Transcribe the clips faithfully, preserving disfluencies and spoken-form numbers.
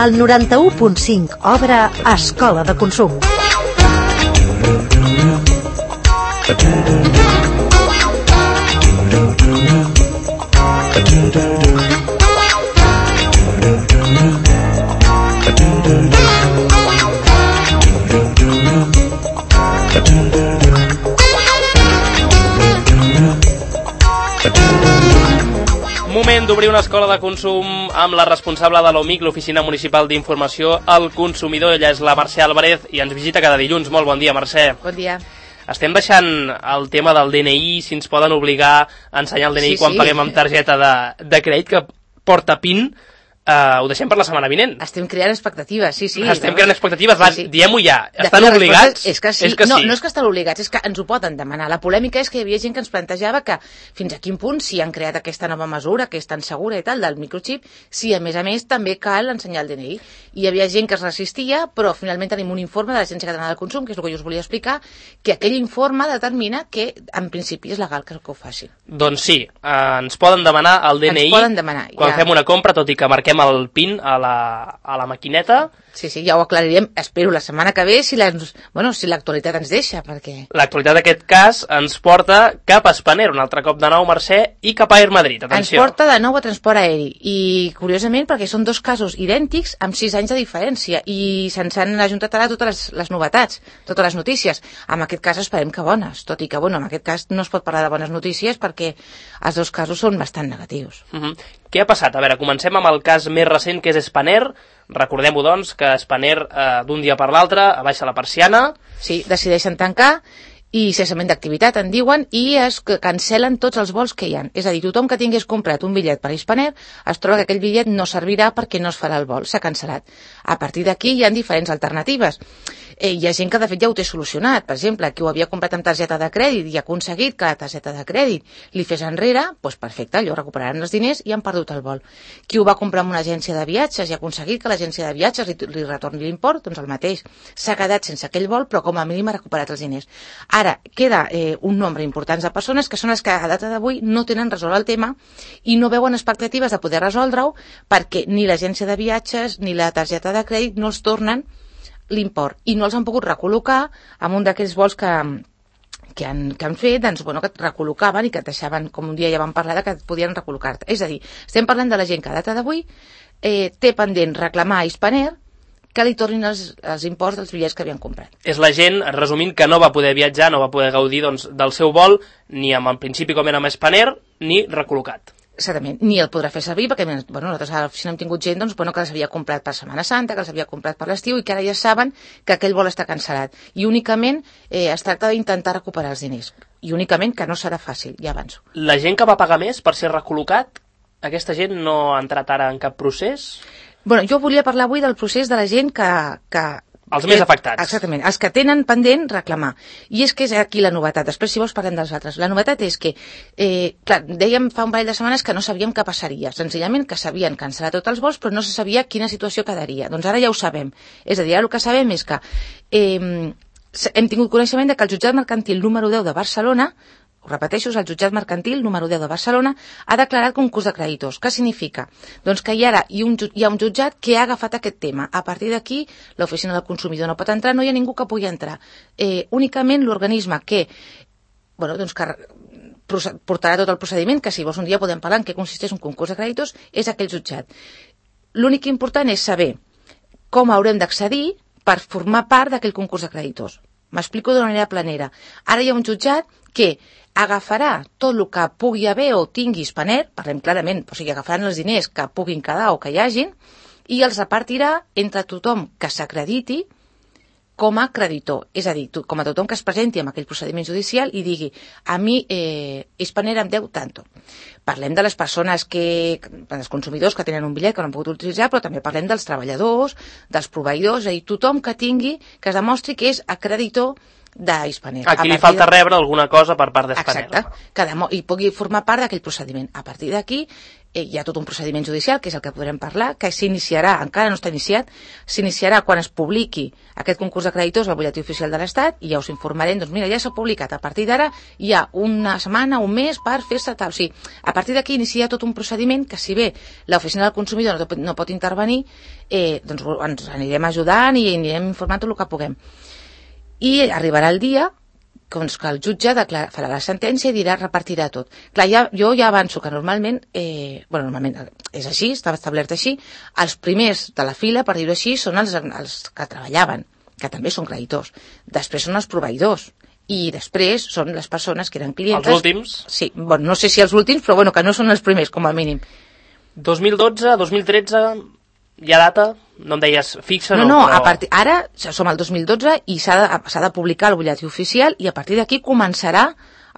al noranta-u punt cinc obre Escola de Consum. Moment d'obrir una escola de consum amb la responsable de l'O M I C, l'Oficina Municipal d'Informació al Consumidor. Ella és la Mercè Álvarez i ens visita cada dilluns. Molt bon dia, Mercè. Bon dia. Estem deixant el tema del D N I, si ens poden obligar a ensenyar el D N I sí, quan sí. paguem amb targeta de, de crèdit, que porta PIN. Uh, ho deixem per la setmana vinent. Estem creant expectatives, sí, sí. Estem creant expectatives, va, sí, sí. Diem-ho ja. De estan fet, obligats? És que sí. És que no, sí. no és que estan obligats, és que ens ho poden demanar. La polèmica és que hi havia gent que ens plantejava que fins a quin punt, si han creat aquesta nova mesura, que és tan segura i tal, del microxip, si a més a més també cal ensenyar el D N I. I hi havia gent que es resistia, però finalment tenim un informe de l'Agència Catalana del Consum, que és el que jo us volia explicar, que aquell informe determina que en principi és legal que ho facin. Doncs sí, eh, ens poden demanar el D N I ens poden demanar, quan ja. fem una compra, tot i que marquem el PIN a la, a la maquineta. Sí, sí, ja ho aclarirem, espero, la setmana que ve, si la, bueno, si l'actualitat ens deixa, perquè... L'actualitat d'aquest cas ens porta cap a Spanair, un altre cop de nou, Mercè, i cap a Air Madrid, atenció. Ens porta de nou a transport aeri, i curiosament perquè són dos casos idèntics amb sis anys de diferència, i se'ns han ajuntat ara totes les, les novetats, totes les notícies. En aquest cas esperem que bones, tot i que, bueno, en aquest cas no es pot parlar de bones notícies perquè els dos casos són bastant negatius. Uh -huh. Què ha passat? A veure, comencem amb el cas més recent, que és Spanair. Recordem-ho, doncs, que Spanair eh, d'un dia per l'altre abaixa la persiana. Sí, decideixen tancar i cessament d'activitat, en diuen, i es cancel·len tots els vols que hi ha. És a dir, tothom que tingués comprat un bitllet per Spanair es troba que aquell bitllet no servirà perquè no es farà el vol, s'ha cancel·lat. A partir d'aquí hi ha diferents alternatives. Eh, hi ha gent que de fet ja ho té solucionat. Per exemple, qui ho havia comprat amb targeta de crèdit i ha aconseguit que la targeta de crèdit li fes enrere, doncs perfecte, allò recuperaran els diners i han perdut el vol. Qui ho va comprar amb una agència de viatges i ha aconseguit que l'agència de viatges li, li retorni l'import, doncs el mateix. S'ha quedat sense aquell vol, però com a mínim ha recuperat els diners. Ara, queda eh, un nombre important de persones que són les que a data d'avui no tenen resolt el tema i no veuen expectatives de poder resoldre-ho perquè ni l'agència de viatges ni la targeta de crèdit no els tornen l'import i no els han pogut recol·locar amb un d'aquells vols que, que, han, que han fet, doncs, bueno, que et recol·locaven i que et deixaven, com un dia ja vam parlar, de que et podien recol·locar-te. És a dir, estem parlant de la gent que a data d'avui eh, té pendent reclamar a Spanair que li tornin els, els imports dels bitllets que havien comprat. És la gent, resumint, que no va poder viatjar, no va poder gaudir doncs, del seu vol, ni amb el principi com era amb Spanair, ni recol·locat. Exactament, ni el podrà fer servir perquè bueno, nosaltres a l'oficina hem tingut gent doncs, bueno, que les havia comprat per Setmana Santa, que les havia comprat per l'estiu i que ara ja saben que aquell vol està cancel·lat. I únicament eh, es tracta d'intentar recuperar els diners. I únicament que no serà fàcil, ja avanço. La gent que va pagar més per ser recol·locat, aquesta gent no ha entrat ara en cap procés? Bueno, jo volia parlar avui del procés de la gent que... que els més afectats. Exactament, els que tenen pendent reclamar. I és que és aquí la novetat. Després, si vols, parlem dels altres. La novetat és que, eh, clar, dèiem fa un parell de setmanes que no sabíem què passaria. Senzillament que s'havien cancel·lat tots els vols, però no se sabia quina situació quedaria. Doncs ara ja ho sabem. És a dir, ara el que sabem és que eh, hem tingut coneixement de que el jutjat mercantil número deu de Barcelona, ho repeteixo, és el jutjat mercantil número deu de Barcelona, ha declarat concurs de creditors. Què significa? Doncs que hi, ara hi, un, hi ha un jutjat que ha agafat aquest tema. A partir d'aquí, l'oficina del consumidor no pot entrar, no hi ha ningú que pugui entrar. Eh, únicament l'organisme que, bueno, doncs que portarà tot el procediment, que si vols un dia podem parlar en què consisteix un concurs de creditors, és aquell jutjat. L'únic important és saber com haurem d'accedir per formar part d'aquell concurs de creditors. M'explico d'una manera planera. Ara hi ha un jutjat que agafarà tot el que pugui haver o tingui Spanair, parlem clarament, o sigui, agafaran els diners que puguin quedar o que hi hagin, i els repartirà entre tothom que s'acrediti com a creditor. És a dir, com a tothom que es presenti amb aquell procediment judicial i digui, a mi eh, Spanair em deu tanto. Parlem de les persones que, dels consumidors que tenen un bitllet que no han pogut utilitzar, però també parlem dels treballadors, dels proveïdors, és a dir, tothom que tingui, que es demostri que és acreditor d'Hispaner. Aquí li falta de... rebre alguna cosa per part d'Hispaner. Exacte, que demo... i pugui formar part d'aquell procediment. A partir d'aquí eh, hi ha tot un procediment judicial, que és el que podrem parlar, que s'iniciarà, encara no està iniciat, s'iniciarà quan es publiqui aquest concurs de creditors al butlletí oficial de l'Estat, i ja us informarem, doncs mira, ja s'ha publicat, a partir d'ara hi ha una setmana, un mes per fer-se tal. O sigui, a partir d'aquí inicia tot un procediment que, si bé l'oficina del consumidor no, no pot intervenir, eh, doncs ens anirem ajudant i anirem informant tot el que puguem. I arribarà el dia doncs, que el jutge declara, farà la sentència i dirà, repartirà tot. Clar, ja, jo ja avanço que normalment, eh, bueno, normalment és així, estava establert així, els primers de la fila, per dir-ho així, són els, els que treballaven, que també són creditors. Després són els proveïdors. I després són les persones que eren clientes... Els últims? Sí, bueno, no sé si els últims, però bueno, que no són els primers, com a mínim. dos mil dotze, dos mil tretze... Hi ha data? No em deies fixa, no? No, no, però... a partir, ara som al dos mil dotze i s'ha de, s'ha de publicar el butlletí oficial i a partir d'aquí començarà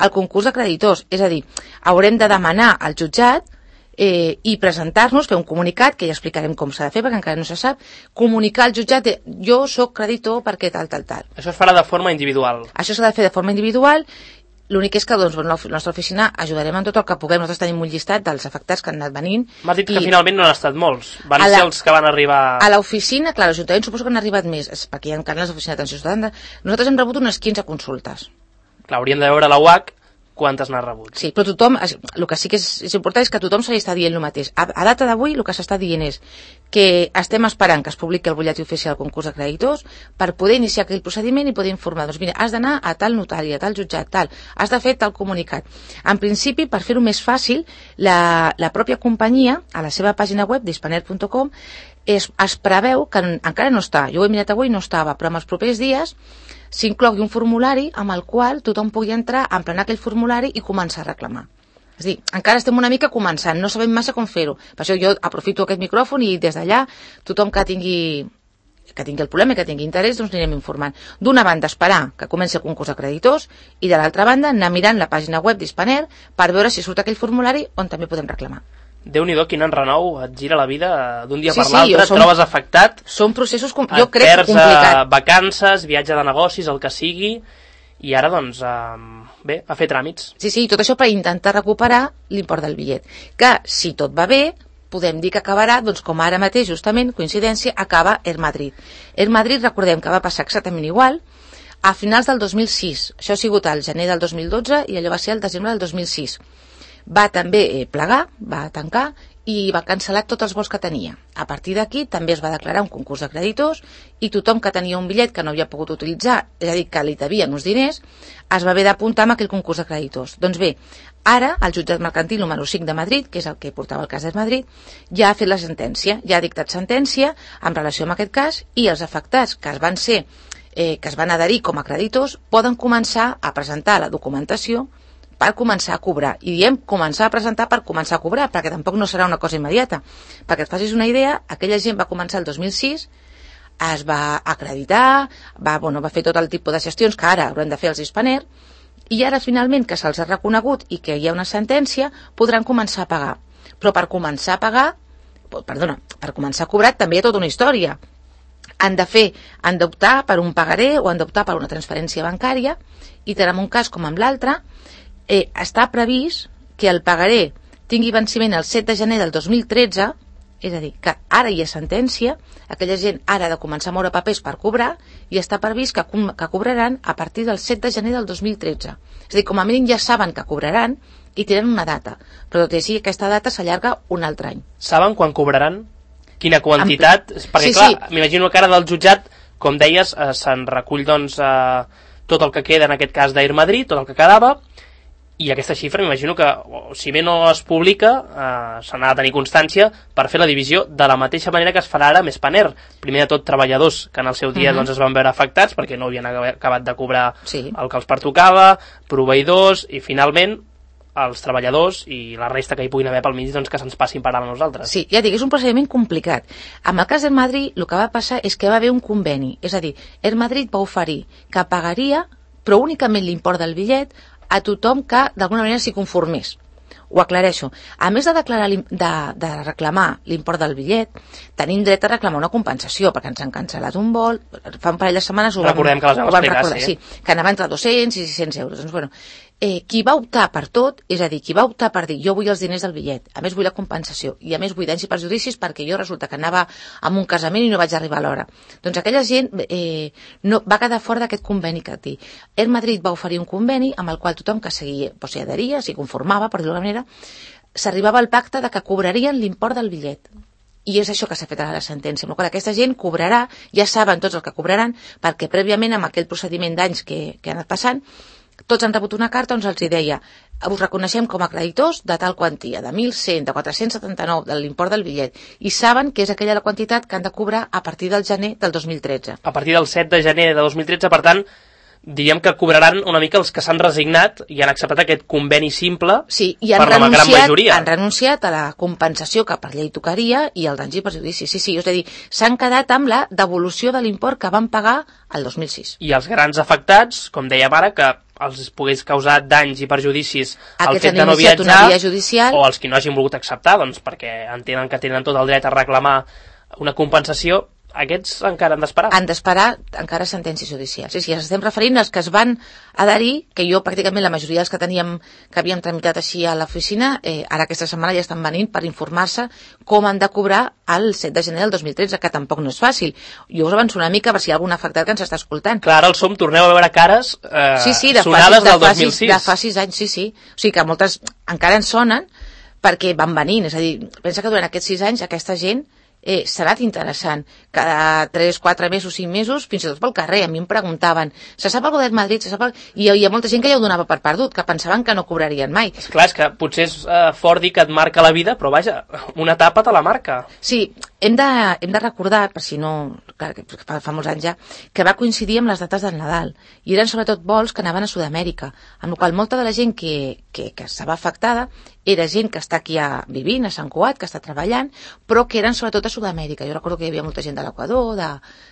el concurs de creditors. És a dir, haurem de demanar al jutjat eh, i presentar-nos, fer un comunicat, que ja explicarem com s'ha de fer perquè encara no se sap, comunicar al jutjat de jo sóc creditor perquè tal, tal, tal. Això es farà de forma individual. Això s'ha de fer de forma individual. L'únic és que doncs, la nostra oficina ajudarem en tot el que puguem. Nosaltres tenim un llistat dels afectats que han anat venint. M'has dit que finalment no han estat molts. Van la, ser els que van arribar... A l'oficina, clar, l'Ajuntament suposo que han arribat més, perquè hi ha encara les oficines d'atenció ciutadana. Nosaltres hem rebut unes quinze consultes. Clar, hauríem de veure la U H C quantes n'ha rebut. Sí, però tothom, el que sí que és, és important és que tothom se li està dient el mateix. A, a data d'avui el que s'està dient és que estem esperant que es publiqui el butlletí oficial del concurs de creditors per poder iniciar aquell procediment i poder informar. Doncs mira, has d'anar a tal notari, a tal jutjat, tal, has de fer tal comunicat. En principi, per fer-ho més fàcil, la, la pròpia companyia, a la seva pàgina web d'hispaner punt com, es, es preveu, que encara no està, jo ho he mirat avui, no estava, però en els propers dies s'inclogui un formulari amb el qual tothom pugui entrar, emplenar aquell formulari i començar a reclamar. És a dir, encara estem una mica començant, no sabem massa com fer-ho. Per això jo aprofito aquest micròfon i des d'allà tothom que tingui, que tingui el problema i que tingui interès, doncs anirem informant. D'una banda, esperar que comenci el concurs de creditors i de l'altra banda, anar mirant la pàgina web d'Hispaner per veure si surt aquell formulari on també podem reclamar. Déu-n'hi-do, quin enrenou, et gira la vida d'un dia sí, per sí, l'altre, et som, trobes afectat. Són processos, com, jo crec, perds, complicat. Perds vacances, viatge de negocis, el que sigui, i ara, doncs, eh, bé, a fer tràmits. Sí, sí, tot això per intentar recuperar l'import del bitllet. Que, si tot va bé, podem dir que acabarà, doncs com ara mateix, justament, coincidència, acaba Air Madrid. Air Madrid, recordem que va passar exactament igual, a finals del dos mil sis. Això ha sigut al gener del dos mil dotze i allò va ser el desembre del dos mil sis. Va també eh, plegar, va tancar i va cancel·lar tots els vols que tenia. A partir d'aquí també es va declarar un concurs de creditors i tothom que tenia un bitllet que no havia pogut utilitzar, és a dir, que li devien uns diners, es va haver d'apuntar amb aquell concurs de creditors. Doncs bé, ara el jutjat mercantil número cinc de Madrid, que és el que portava el cas de Madrid, ja ha fet la sentència, ja ha dictat sentència en relació amb aquest cas i els afectats que es van ser, eh, que es van adherir com a creditors poden començar a presentar la documentació per començar a cobrar. I diem començar a presentar per començar a cobrar, perquè tampoc no serà una cosa immediata. Perquè et facis una idea, aquella gent va començar el dos mil sis, es va acreditar, va, bueno, va fer tot el tipus de gestions que ara hauran de fer els Hispaner, i ara finalment que se'ls ha reconegut i que hi ha una sentència, podran començar a pagar. Però per començar a pagar, perdona, per començar a cobrar també hi ha tota una història. Han de fer, han d'optar per un pagaré o han d'optar per una transferència bancària, i tant en un cas com en l'altre, Eh, està previst que el pagaré tingui venciment el set de gener del dos mil tretze, és a dir, que ara hi ha sentència, aquella gent ara ha de començar a moure papers per cobrar i està previst que, que cobraran a partir del set de gener del dos mil tretze. És a dir, com a mínim ja saben que cobraran i tenen una data, però tot i així aquesta data s'allarga un altre any. Saben quan cobraran? Quina quantitat? Ampli. Perquè sí, clar, sí. m'imagino que ara del jutjat, com deies, eh, se'n recull doncs eh, tot el que queda en aquest cas d'Air Madrid, tot el que quedava. I aquesta xifra m'imagino que, si bé no es publica, eh, se n'ha de tenir constància per fer la divisió de la mateixa manera que es farà ara amb Hispaner. Primer de tot, treballadors que en el seu dia uh-huh. doncs, es van veure afectats perquè no havien acabat de cobrar sí. el que els pertocava, proveïdors i finalment els treballadors i la resta que hi puguin haver pel mig doncs, que se'ns passin per a nosaltres. Sí, ja dic, és un procediment complicat. Amb el cas d'Air Madrid, el que va passar és que va haver un conveni, és a dir, Air Madrid va oferir que pagaria, però únicament l'import del bitllet, a tothom que d'alguna manera s'hi conformés. Ho aclareixo. A més de, declarar de, de reclamar l'import del bitllet, tenim dret a reclamar una compensació, perquè ens han cancel·lat un vol, fa un parell de setmanes ho vam, Recordem que les vam ho vam explicar, recordar, sí. sí, que anava entre dos-cents i sis-cents euros. Doncs, bueno, eh, qui va optar per tot, és a dir, qui va optar per dir jo vull els diners del bitllet, a més vull la compensació, i a més vull danys i perjudicis perquè jo resulta que anava a un casament i no vaig arribar a l'hora. Doncs aquella gent eh, no, va quedar fora d'aquest conveni que té. Air Madrid va oferir un conveni amb el qual tothom que seguia, o s'hi adheria, s'hi conformava, per dir-ho d'alguna manera, s'arribava al pacte de que cobrarien l'import del bitllet. I és això que s'ha fet a la sentència. Amb la qual aquesta gent cobrarà, ja saben tots el que cobraran, perquè prèviament amb aquell procediment d'anys que, que ha anat passant, tots han rebut una carta on els deia us reconeixem com a creditors de tal quantia, de mil cent, de quatre-cents setanta-nou, de l'import del bitllet, i saben que és aquella la quantitat que han de cobrar a partir del gener del dos mil tretze. A partir del set de gener de dos mil tretze, per tant, diríem que cobraran una mica els que s'han resignat i han acceptat aquest conveni simple, sí, i han per la gran majoria. Han renunciat a la compensació que per llei tocaria i al danys i perjudicis. Sí, sí, és a dir, s'han quedat amb la devolució de l'import que van pagar el dos mil sis. I els grans afectats, com dèiem ara, que els pogués causar danys i perjudicis al fet de no viatjar, judicial, o els que no hagin volgut acceptar, doncs perquè entenen que tenen tot el dret a reclamar una compensació, aquests encara han d'esperar. Han d'esperar encara sentència judicial. Sí, sí, ens estem referint als que es van adherir, que jo pràcticament la majoria dels que teníem, que havíem tramitat així a l'oficina, eh, ara aquesta setmana ja estan venint per informar-se com han de cobrar el set de gener del dos mil tretze, que tampoc no és fàcil. Jo us avanço una mica per si hi ha algun afectat que ens està escoltant. Clar, ara el som, torneu a veure cares eh, sí, sí, de sonades fa, de del dos mil sis. De fa sis anys, sí, sí. O sigui que moltes encara ens sonen perquè van venint. És a dir, pensa que durant aquests sis anys aquesta gent eh, s'ha anat interessant. Cada tres, quatre mesos, cinc mesos, fins i tot pel carrer, a mi em preguntaven, se sap alguna del Madrid? Se sap el... I hi ha molta gent que ja ho donava per perdut, que pensaven que no cobrarien mai. Esclar, és que potser és eh, fort dir que et marca la vida, però vaja, una etapa te la marca. Sí, hem de, hem de recordar, per si no, clar, fa, fa molts anys ja, que va coincidir amb les dates del Nadal, i eren sobretot vols que anaven a Sud-amèrica, amb la qual molta de la gent que, que, que estava afectada era gent que està aquí a, vivint a Sant Cugat, que està treballant, però que eren sobretot a Sud-amèrica. Jo recordo que hi havia molta gent de l'Equador, de,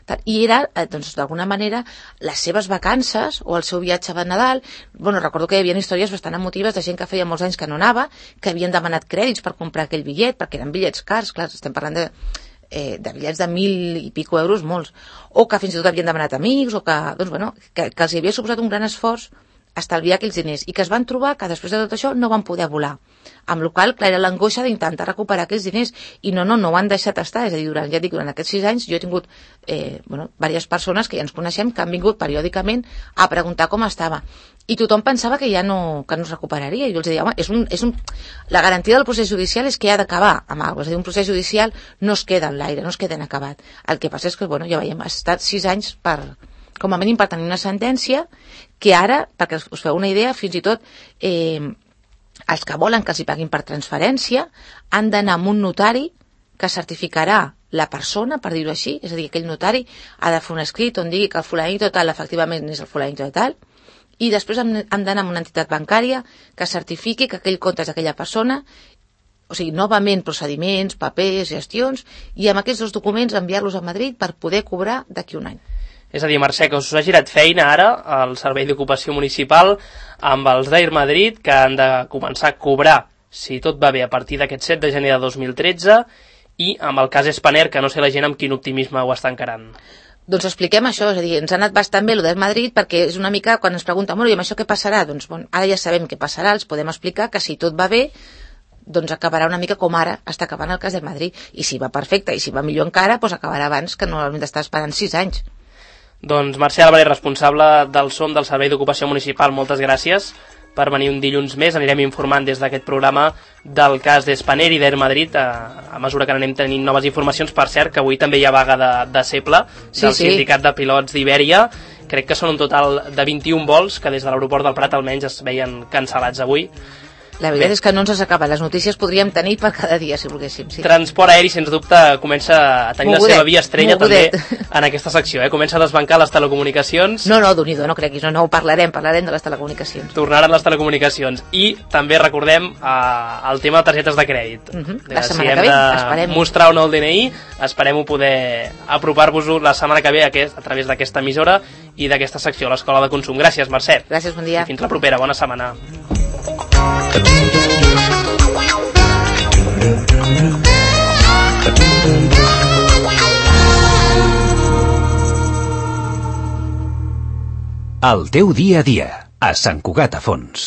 de, i era, doncs, d'alguna manera, les seves vacances o el seu viatge de Nadal. Bueno, recordo que hi havia històries bastant emotives de gent que feia molts anys que no anava, que havien demanat crèdits per comprar aquell bitllet, perquè eren bitllets cars, clar, estem parlant de, eh, de bitllets de mil i pico euros, molts, o que fins i tot havien demanat amics, o que, doncs, bueno, que, que els havia suposat un gran esforç estalviar aquells diners, i que es van trobar que després de tot això no van poder volar. Amb la qual cosa, era l'angoixa d'intentar recuperar aquells diners, i no, no, no ho han deixat estar. És a dir, durant, ja dic, durant aquests sis anys jo he tingut eh, bueno, diverses persones que ja ens coneixem, que han vingut periòdicament a preguntar com estava. I tothom pensava que ja no, que no es recuperaria. I jo els deia, home, és un, és un... la garantia del procés judicial és que ha d'acabar amb alguna cosa. És a dir, un procés judicial no es queda en l'aire, no es queda en acabat. El que passa és que, bueno, ja veiem, ha estat sis anys per... com a mínim per tenir una sentència que ara, perquè us feu una idea, fins i tot eh, els que volen que els hi paguin per transferència han d'anar amb un notari que certificarà la persona, per dir-ho així, és a dir, aquell notari ha de fer un escrit on digui que el fulanito tal efectivament és el fulanito tal, i després han, han d'anar amb una entitat bancària que certifiqui que aquell compte és d'aquella persona, o sigui, novament procediments, papers, gestions, i amb aquests dos documents enviar-los a Madrid per poder cobrar d'aquí un any. És a dir, Mercè, que us ha girat feina ara al Servei d'Ocupació Municipal amb els d'Air Madrid, que han de començar a cobrar, si tot va bé, a partir d'aquest set de gener de dos mil tretze, i amb el cas Spanair, que no sé la gent amb quin optimisme ho està encarant. Doncs expliquem això, és a dir, ens ha anat bastant bé el d'Air Madrid, perquè és una mica, quan ens pregunten, bueno, i amb això què passarà? Doncs, bueno, ara ja sabem què passarà, els podem explicar que si tot va bé, doncs acabarà una mica com ara està acabant el cas d'Air Madrid, i si va perfecte, i si va millor encara, doncs acabarà abans, que normalment està esperant sis anys. Doncs Mercè Álvarez, responsable del S O M del Servei d'Ocupació Municipal, moltes gràcies per venir un dilluns més. Anirem informant des d'aquest programa del cas d'Spanair i d'Air Madrid a, a mesura que anem tenint noves informacions. Per cert, que avui també hi ha vaga de, de Seple, sí, del sí. Sindicat de Pilots d'Ibèria. Crec que són un total de vint-i-un vols que des de l'aeroport del Prat almenys es veien cancel·lats avui. La veritat Bé. és que no ens s'acaba. Les notícies podríem tenir per cada dia, si volguéssim. Sí. Transport aeri, sens dubte, comença a tenir mogudet, la seva via estrella mogudet. També en aquesta secció. Eh? Comença a desbancar les telecomunicacions. No, no, d'un-i-do, no creguis. No, no, ho parlarem, parlarem de les telecomunicacions. Tornaran les telecomunicacions. I també recordem eh, el tema de targetes de crèdit. Uh-huh. La si setmana hem que ve, de esperem. Mostrar o no el D N I, esperem-ho poder apropar-vos-ho la setmana que ve aquest, a través d'aquesta emissora i d'aquesta secció, l'Escola de Consum. Gràcies, Mercè. Gràcies, bon dia. I fins la propera. Bona setmana. El teu dia a dia, a Sant Cugat a Fons.